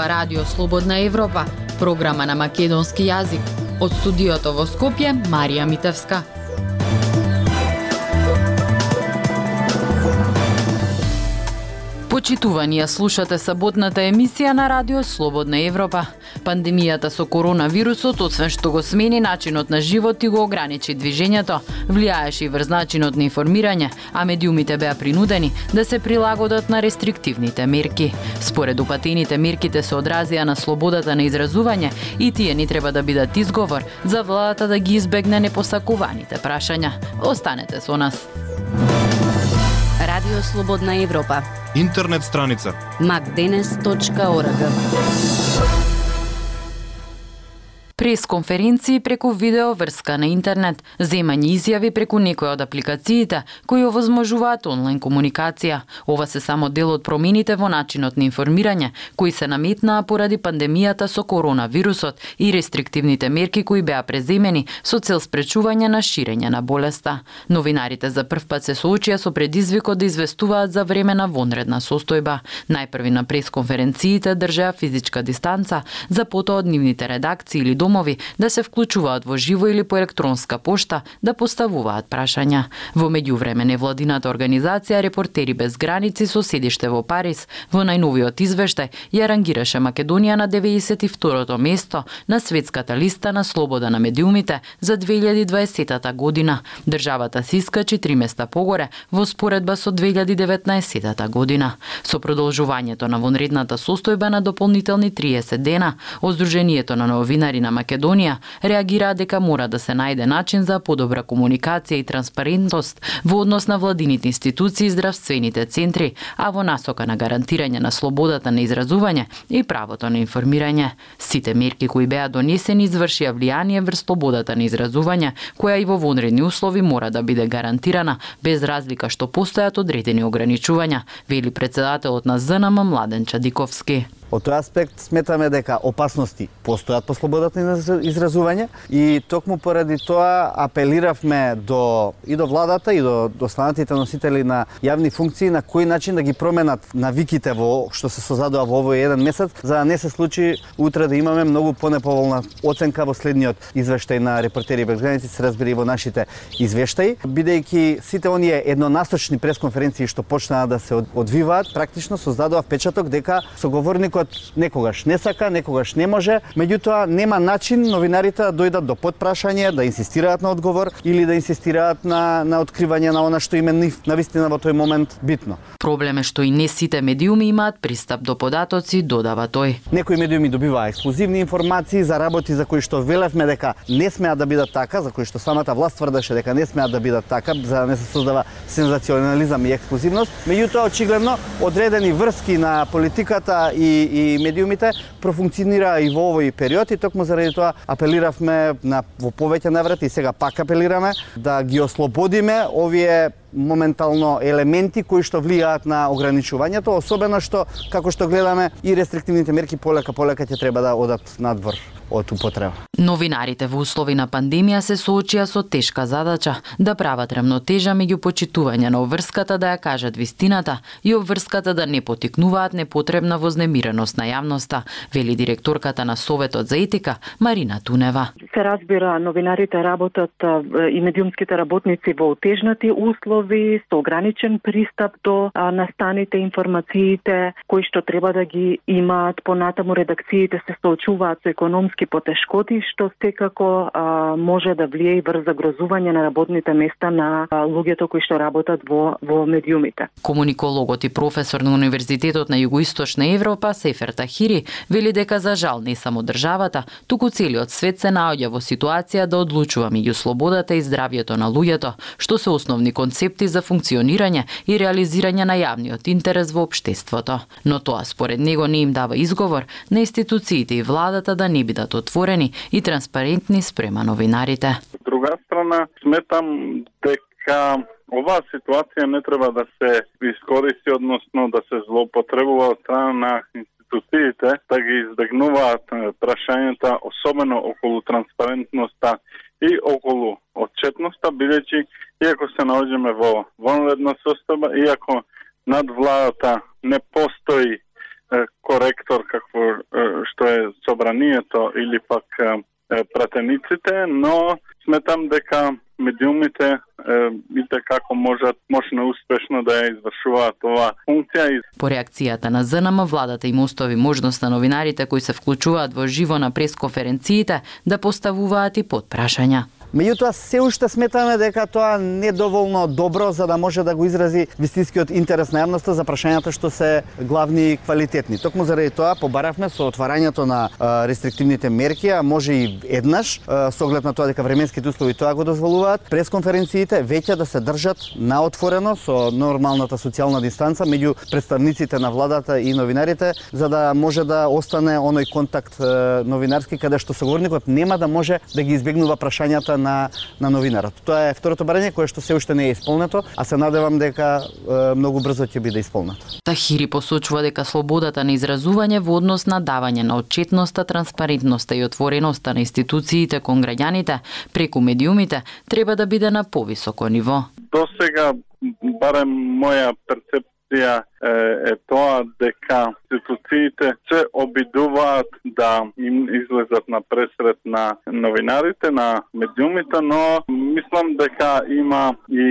ова Радио Слободна Европа, програма на македонски јазик. Од студиото во Скопје, Марија Митевска. Почитувани, ја слушате саботната емисија на Радио Слободна Европа. Пандемијата со коронавирусот, освен што го смени начинот на живот и го ограничи движењето, влијаеше и врз начинот на информирање, а медиумите беа принудени да се прилагодат на рестриктивните мерки. Според упатените, мерките се одразија на слободата на изразување и тие ни треба да бидат изговор за владата да ги избегне непосакуваните прашања. Останете со нас. Радио Слободна Европа. Интернет страница macdenes.org. Пресконференции преку видео врска на интернет, земање изјави преку некои од апликациите кои овозможуваат онлайн комуникација. Ова се само дел од промените во начинот на информирање кои се наметнаа поради пандемијата со коронавирусот и рестриктивните мерки кои беа преземени со цел спречување на ширење на болеста. Новинарите за прв пат се соочија со предизвикот да известуваат за време на вонредна состојба. Најпрви на пресконференциите држеа физичка дистанца, за потоа од нивните редакции или домови да се вклучуваат во живо или по електронска пошта да поставуваат прашања. Во меѓувреме невладината организација Репортери без граници со седиште во Париз во најновиот извештај ја рангираше Македонија на 92-то место на светската листа на слобода на медиумите за 2020 година. Државата се искачи 3 места погоре во споредба со 2019 година. Со продолжувањето на вонредната состојба на дополнителни 30 дена, од Сдруженијето на новинари на Македонија реагираа дека мора да се најде начин за подобра комуникација и транспарентност во однос на владините институции и здравствените центри, а во насока на гарантирање на слободата на изразување и правото на информирање. Сите мерки кои беа донесени извршија влијание врз слободата на изразување, која и во вонредни услови мора да биде гарантирана без разлика што постојат одредени ограничувања, вели претседателот на ЗНМ Младен Чадиковски. Од тој аспект сметаме дека опасности постојат по слободата на изразување и токму поради тоа апелиравме до владата и до останатите носители на јавни функции на кој начин да ги променат навиките во што се создадува во овој еден месец, за да не се случи утре да имаме многу понеповолна оценка во следниот извештај на Репортери без граници, се разбери во нашите извештаи, бидејќи сите оние еднонасочни пресконференции што почнаа да се одвиваат, практично создадува впечаток дека соговорникот некогаш не сака, некогаш не може, меѓутоа нема начин новинарите да дојдат до потпрашање, да инсистираат на одговор или да инсистираат на откривање на она што им е навистина во тој момент битно. Проблем е што и не сите медиуми имаат пристап до податоци, додава тој. Некои медиуми добиваа ексклузивни информации за работи за кои што велевме дека не смеат да бидат така, за кои што самата власт тврдеше дека не смеат да бидат така, за да не се создава сензационализам и ексклузивност. Меѓутоа очигледно одредени врски на политиката и медиумите профункционира и во овој период и токму заради тоа апелиравме во повеќе наврати и сега пак апелираме да ги ослободиме овие моментално елементи кои што влијаат на ограничувањето, особено што како што гледаме и рестриктивните мерки полека ќе треба да одат надвор од употреба. Новинарите во услови на пандемија се соочија со тешка задача да прават рамнотежа меѓу почитување на обврската да ја кажат вистината и обврската да не потикнуваат непотребна вознемиреност на јавноста, вели директорката на Советот за етика Марина Тунева. Се разбира, новинарите работат и медиумските работници во отежнати услови, со ограничен пристап до настаните информациите, кои што треба да ги имаат. Понатаму редакциите се соочуваат со економски потешкоти, што секако може да влие и врз загрозување на работните места на луѓето кои што работат во медиумите. Комуникологот и професор на Универзитетот на Југоисточна Европа Сефер Тахири вели дека за жал не само државата, туку целиот свет се наоѓа во ситуација да одлучува меѓу слободата и здравјето на луѓето, што се основни концепти за функционирање и реализирање на јавниот интерес во општеството. Но тоа според него не им дава изговор на институциите и владата да не бидат отворени и транспарентни спрема новинарите. Од друга страна, сметам дека оваа ситуација не треба да се искористи, односно да се злоупотребува од страна на институциите, да ги избегнуваат прашањата, особено околу транспарентноста и околу отчетноста, бидејќи иако се наоѓаме во вонредна состојба, иако над владата не постои коректор како што е собранието или пак пратениците, но сметам дека медиумите и како можно успешно да ја извршуваат оваа функција. По реакцијата на ЗНМ, владата им остави можност на новинарите кои се вклучуваат во живо на пресконференциите да поставуваат и потпрашања. Меѓутоа, се уште сметаме дека тоа не е доволно добро за да може да го изрази вистинскиот интерес на јавноста за прашањата што се главни и квалитетни. Токму заради тоа побаравме со отварањето на рестриктивните мерки, а може и еднаш, со оглед на тоа дека временските услови тоа го дозволуваат, пресконференциите веќе да се држат на отворено со нормалната социјална дистанца меѓу представниците на владата и новинарите, за да може да остане оној контакт новинарски каде што соговорникот нема да може да ги избегнува прашањата на новинарот. Тоа е второто барање кое што се уште не е исполнето, а се надевам дека многу брзо ќе биде исполнето. Тахири посочува дека слободата на изразување во однос на давање на отчетноста, транспарентноста и отвореноста на институциите кон граѓаните преку медиумите треба да биде на повисоко ниво. До сега, барем моја перцепција е тоа дека институциите се обидуваат да им излезат на пресред на новинарите, на медиумите, но мислам дека има и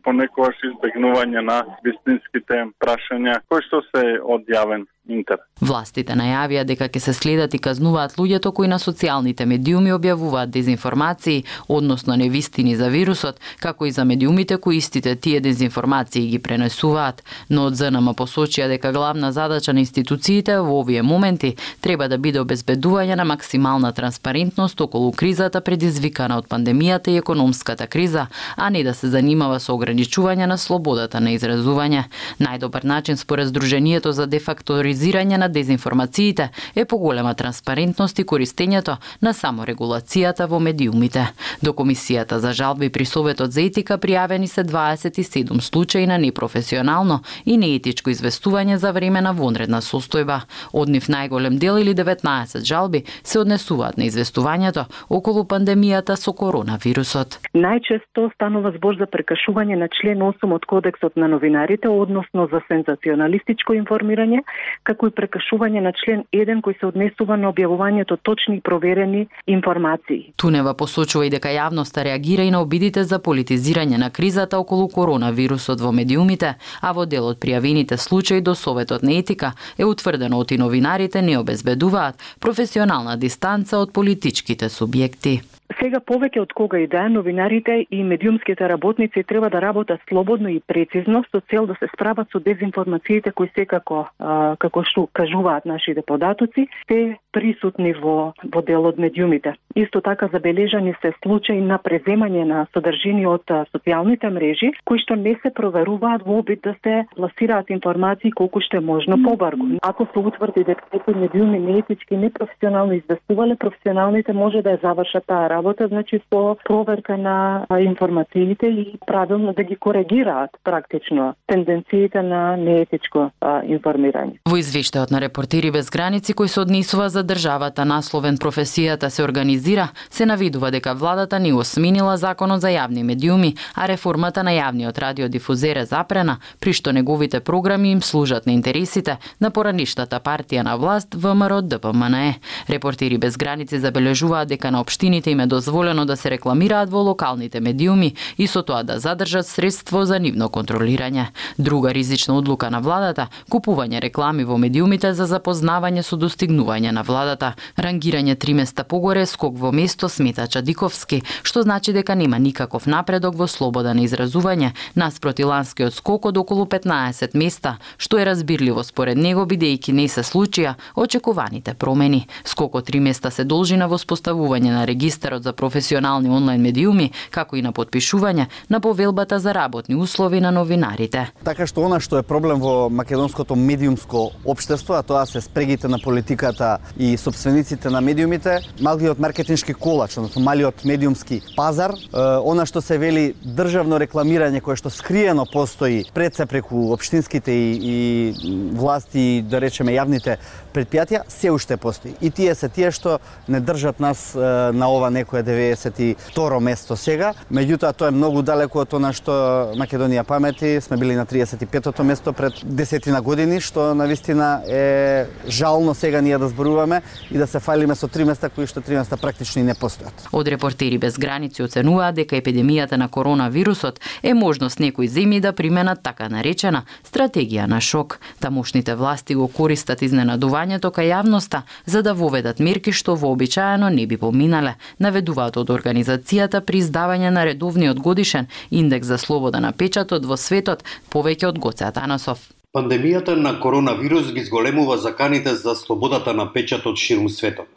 понекогаш избегнување на вистинските прашања кои што се од јавен интерес. Властите најавија дека ќе се следат и казнуваат луѓето кои на социјалните медиуми објавуваат дезинформации, односно невистини за вирусот, како и за медиумите кои истите тие дезинформации ги пренесуваат, но од ЗНМ посочија дека главна задача на институциите во овие моменти треба да биде обезбедување на максимална транспарентност околу кризата предизвикана од пандемијата и економската криза, а не да се занимава со ограничување на слободата на изразување. Најдобар начин според Сдруженијето за дефакторизирање на дезинформациите е поголема транспарентност и користењето на саморегулацијата во медиумите. До Комисијата за жалби при Советот за етика пријавени се 27 случаи на непрофесионално и неетичко известување за време на вонредна состојба. Од нив најголем дел или 19 жалби се однесуваат на известувањето околу пандемијата со коронавирусот. Најчесто станува збор за прекашување на член 8 од Кодексот на новинарите, односно за сензационалистичко информирање, како и прекашување на член 1 кој се однесува на објавувањето точни и проверени информации. Тунева посочува и дека јавноста реагира и на обидите за политизирање на кризата околу коронавирусот во медиумите, а во дел од пријавените случаи до Советот на етика е утврдено оти новинарите не обезбедуваат професионална дистанца од политичките субјекти. Сега повеќе од кога и да е, новинарите и медиумските работници треба да работат слободно и прецизно со цел да се справат со дезинформациите кои секако, како што кажуваат нашите податоци, се присутни во дел од медиумите. Исто така забележани се случаи на преземање на содржини од социјалните мрежи, кои што не се проверуваат во обид да се пласираат информации колку што е можно побрзо. Ако се утврди дека некои медиуми неетички, непрофесионално известувале, професионалните може да ја завршат таа работа, значи со проверка на информациите и правилно да ги коригираат практично тенденциите на неетичко информирање. Во извештајот на Репортери без граници кој се однесува за државата насловен професијата се организира, се навидува дека владата не осменила законот за јавни медиуми, а реформата на јавниот радиодифузер е запрена, при што неговите програми им служат на интересите на поранишната партија на власт ВМРО ДПМНЕ. Репортери без граници забележуваат дека на општините им е дозволено да се рекламираат во локалните медиуми и со тоа да задржат средство за нивно контролирање. Друга ризична одлука на владата – купување реклами во медиумите за запознавање со достигнување на владата. Рангирање 3 места погоре, скок во место смета Чадиковски, што значи дека нема никаков напредок во слобода на изразување, наспроти ланскиот скок од околу 15 места, што е разбирливо според него бидејќи не се случија очекуваните промени. Скокот 3 места се должи на воспоставување на регистарот за професионални онлайн медиуми, како и на потпишување на повелбата за работни услови на новинарите. Така што она што е проблем во македонското медиумско општество, а тоа се спрегите на политиката и собствениците на медиумите, малиот маркетиншки колач, односно малиот медиумски пазар, она што се вели државно рекламирање кое што скриено постои пред се преку општинските и власти, да речеме јавните предпријатија, се уште постои. И тие се тие што не држат нас на ова некое 92-ро место сега. Меѓутоа тоа е многу далеко од она што Македонија памети. Сме били на 35-то место пред 10 години, што навистина е жално сега ние да зборуваме и да се фалиме со 3 места кои што 3 места практично и не постојат. Од Репортери без граници оценуваат дека епидемијата на коронавирусот е можност некои земји да применат така наречена стратегија на шок. Тамошните власти го користат изненадувањето кај јавноста за да воведат мерки што вообичаено не би поминале, наведуваат од организацијата при издавање на редовниот годишен индекс за слобода на печатот во светот, повеќе од Гоце Атанасов. Пандемијата на коронавирус ги зголемува заканите за слободата на печатот ширум светот.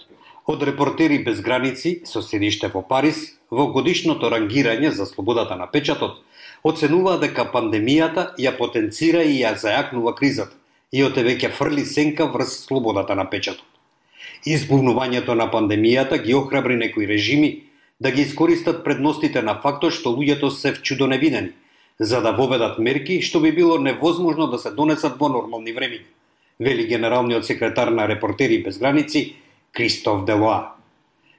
Од Репортери без граници, со седиште во Париз, во годишното рангирање за слободата на печатот, оценуваа дека пандемијата ја потенцира и ја зајакнува кризата и отевеќе фрли сенка врз слободата на печатот. Избувнувањето на пандемијата ги охрабри некои режими да ги искористат предностите на фактот што луѓето се вчудо невидени, за да воведат мерки што би било невозможно да се донесат во нормални времиња, вели генералниот секретар на Репортери без граници Кристоф Делоа.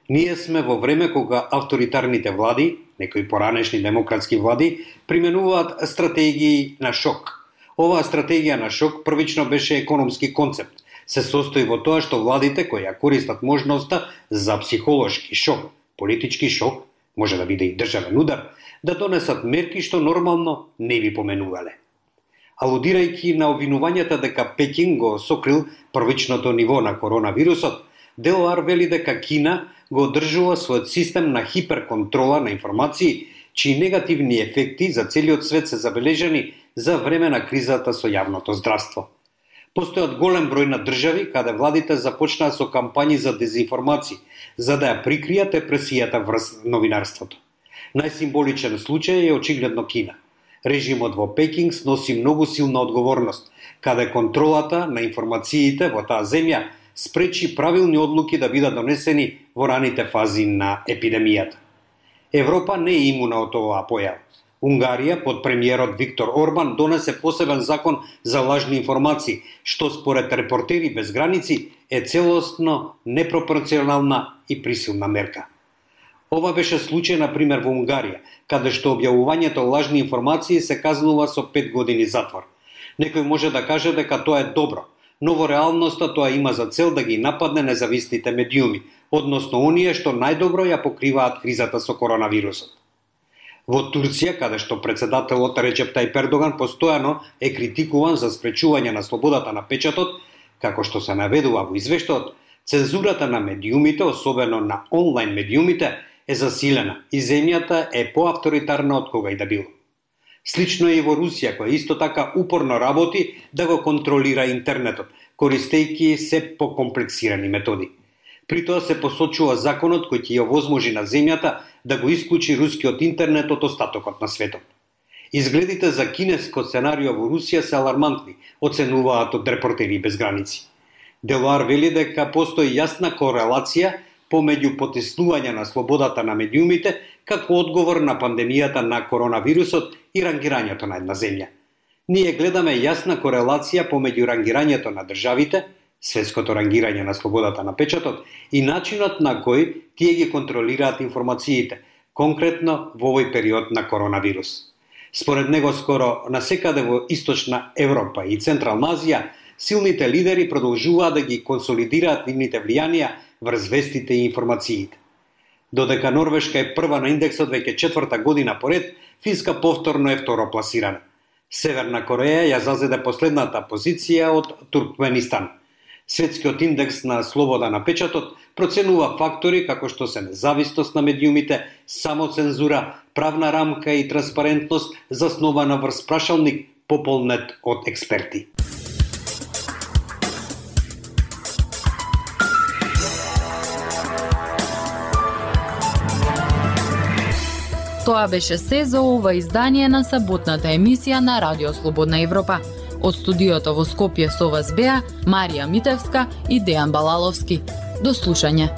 Ние сме во време кога авторитарните влади, некои поранешни демократски влади, применуваат стратегии на шок. Оваа стратегија на шок првично беше економски концепт. Се состои во тоа што владите кои ја користат можноста за психолошки шок, политички шок, може да биде и државен удар, да донесат мерки што нормално не би поменувале. Алудирајќи на обвинувањата дека Пекин го сокрил првичното ниво на коронавирусот, Делоар вели дека Кина го одржува својот систем на хиперконтрола на информации, чии негативни ефекти за целиот свет се забележани за време на кризата со јавното здравство. Постојат голем број на држави каде владите започнаа со кампањи за дезинформации, за да ја прикријат репресијата врз новинарството. Најсимволичен случај е очигледно Кина. Режимот во Пекинг сноси многу силна одговорност, каде контролата на информациите во таа земја спречи правилни одлуки да бидат донесени во раните фази на епидемијата. Европа не е имуна од оваа појава. Унгарија под премиерот Виктор Орбан донесе посебен закон за лажни информации, што според Репортери без граници е целосно непропорционална и присилна мерка. Ова беше случај, например, во Унгарија, каде што објавувањето лажни информации се казнува со 5 години затвор. Некој може да каже дека тоа е добро, но во реалноста тоа има за цел да ги нападне независните медиуми, односно оние што најдобро ја покриваат кризата со коронавирусот. Во Турција, каде што председателот Реджеп Тајип Ердоган постојано е критикуван за спречување на слободата на печатот, како што се наведува во извештајот, цензурата на медиумите, особено на онлайн медиумите, е засилена и земјата е поавторитарна од кога и да било. Слично е и во Русија, која исто така упорно работи да го контролира интернетот, користејќи се покомплексирани методи. При тоа се посочува законот кој ќе ја овозможи на земјата да го исклучи рускиот интернет од остатокот на светот. Изгледите за кинеско сценарио во Русија се алармантни, оценуваат од Репортери без граници. Делоар вели дека постои јасна корелација помеѓу потиснување на слободата на медиумите како одговор на пандемијата на коронавирусот и рангирањето на една земја. Ние гледаме јасна корелација помеѓу рангирањето на државите, светското рангирање на слободата на печатот и начинот на кој тие ги контролираат информациите, конкретно во овој период на коронавирус. Според него, скоро насекаде во Источна Европа и Централна Азија, силните лидери продолжуваат да ги консолидираат нивните влијанија врз вестите и информациите. Додека Норвешка е прва на индексот веќе 4-та година поред, Финска повторно е второпласирана. Северна Кореја ја зазеде последната позиција од Туркменистан. Светскиот индекс на слобода на печатот проценува фактори како што се независност на медиумите, самоцензура, правна рамка и транспарентност заснована врз прашалник пополнет од експерти. Тоа беше се за ова издание на саботната емисија на Радио Слободна Европа. Од студиото во Скопје со вас беа Марија Митевска и Дејан Балаловски. До слушање.